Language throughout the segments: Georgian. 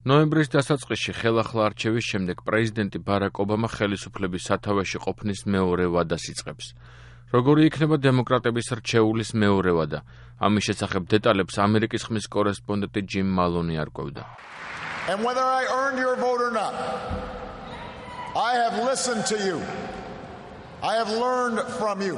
ნოემბრის დასაწყისში ხელახლა არჩევის შემდეგ პრეზიდენტი ბარაკ ობამა ხელისუფლების სათავეში ყოფნის მეორე ვადას იწყებს. Როგორი იქნება დემოკრატების რჩეულის მეორე ვადა? ამის შესახებ დეტალებს ამერიკის ხმის კორესპონდენტი ჯიმ მალონი არკვევდა. And whether I earned your vote or not, I have listened to you. I have learned from you.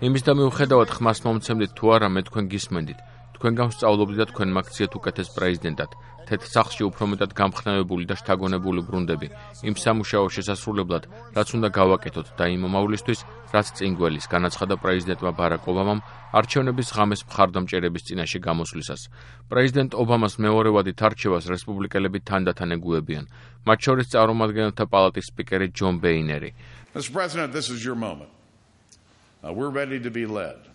იმის და მიუხედავად ხმას მომცემდით თუ არა, მე თქვენ გისმენდით. თქვენ გამსწავლობდით და თქვენ მაგციათ უკეთეს პრეზიდენტად. თეთრ სახლში უფრო მეტად გამხნევებული და შთაგონებული ბრუნდები. იმ სამუშაო შესასრულებლად, რაც უნდა გავაკეთოთ და იმ მომავლისთვის, რაც წინ გველის, განაცხადა პრეზიდენტმა ბარაკ ობამამ არჩევნების ღამეს მხარდამჭერების წინაშე გამოსვლისას. პრეზიდენტ ობამას მეორე ვადით არჩევას რესპუბლიკელები თანდათან ეგუებიან. მათ შორის წარმომადგენელთა პალატის სპიკერი ჯონ ბეინერი. Mr. President, this is your moment. We're ready to be led.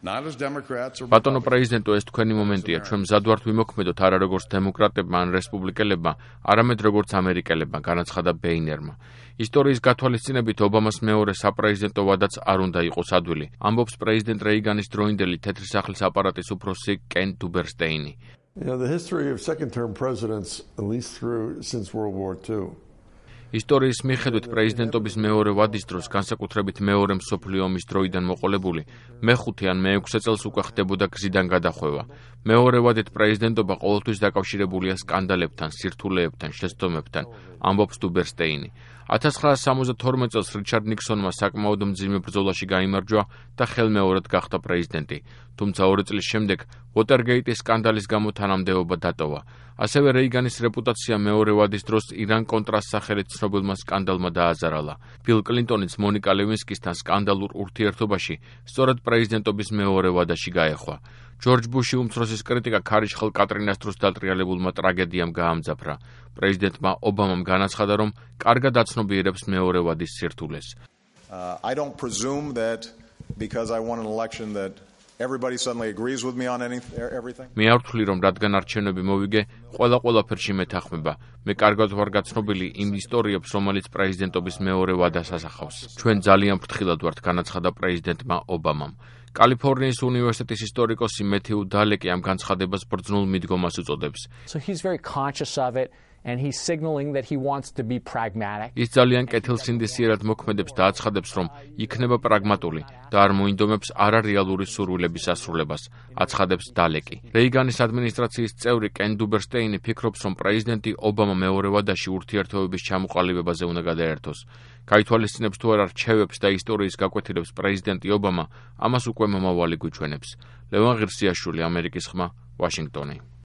ბატონო პრეზიდენტო, ეს თქვენი მომენტია. ჩვენ მზად ვართ ვიმოქმედოთ არა როგორც დემოკრატებმა ან რესპუბლიკელებმა, არამედ როგორც ამერიკელებმა, განაცხადა ბეინერმა. ისტორიის გათვალისწინებით ობამას მეორე საპრეზიდენტო ვადაც არ უნდა იყოს ადვილი, ამბობს პრეზიდენტ რეიგანის დროინდელი თეთრი სახლის აპარატის უფროსი კენ დუბერსტეინი. The history of second-term presidents, at least since World War II. ისტორიის მიხედვით პრეზიდენტობის მეორე ვადის დროს, განსაკუთრებით მეორე მსოფლიო ომის დროიდან მოყოლებული, მეხუთე ან მეექვსე წელს უკვე ხდებოდა გზიდან გადახვევა. მეორე ვადით პრეზიდენტობა ყოველთვის დაკავშირებულია სკანდალებთან, სირთულეებთან, შეცდომებთან, ამბობს დუბერსტეინი. 1972 წელს რიჩარდ ნიქსონმა საკმაოდ მძიმე ბრძოლაში გაიმარჯვა და ხელმეორედ გახდა პრეზიდენტი. თუმცა 2 წლის შემდეგ ვოტერგეიტის სკანდალის გამო თანამდებობა დატოვა. ასევე რეიგანის რეპუტაცია მეორე ვადის დროს ირან-კონტრას სახელით ცნობილმა სკანდალმა დააზარალა. ბილ კლინტონიც მონიკა ლევინსკისთან სკანდალურ ურთიერთობაში სწორედ პრეზიდენტობის მეორე ვადაში გაეხვა. ჯორჯ ბუში უმცროსის კრიტიკა ქარიშხალ კატრინას დროს დატრიალებულმა ტრაგედიამ გაამძაფრა. პრეზიდენტმა ობამამ განაცხადა, რომ კარგად აცნობიერებს მეორე ვადის სირთულეს. I don't presume that because I won an election that everybody suddenly agrees with me on everything. მე არ ვთვლი, რომ რადგან არჩევნები მოვიგე, ყველაფერში მეთანხმება. მე კარგად ვარ გაცნობილი იმ ისტორიებს, რომელიც პრეზიდენტობის მეორე ვადას ასახავს. ჩვენ ძალიან ფრთხილად ვართ, განაცხადა პრეზიდენტმა ობამამ. კალიფორნიის უნივერსიტეტის ისტორიკოსი მეთიუ დალეკი ამ განცხადებას ბრძნულ მიდგომას უწოდებს. So he's very conscious of it. And he's signaling that he wants to be pragmatic. ის ძალიან კეთილსინდისიერად მოქმედებს და აცხადებს, რომ იქნება პრაგმატული და არ მოინდომებს არარეალური სურვილების ასრულებას, აცხადებს დალეკი. რეიგანის ადმინისტრაციის წევრი კენ დუბერსტეინი ფიქრობს, რომ პრეზიდენტი ობამა მეორე ვადაში ურთიერთობების ჩამოყალიბებაზე უნდა გადაერთოს. გაითვალისწინებს თუ არა რჩევებს და ისტორიის გაკვეთილებს პრეზიდენტი ობამა, ამას უკვე მომავალი გვიჩვენებს. ლევან ღირსიაშვილი, ამერიკის ხმა, ვაშინგტონი.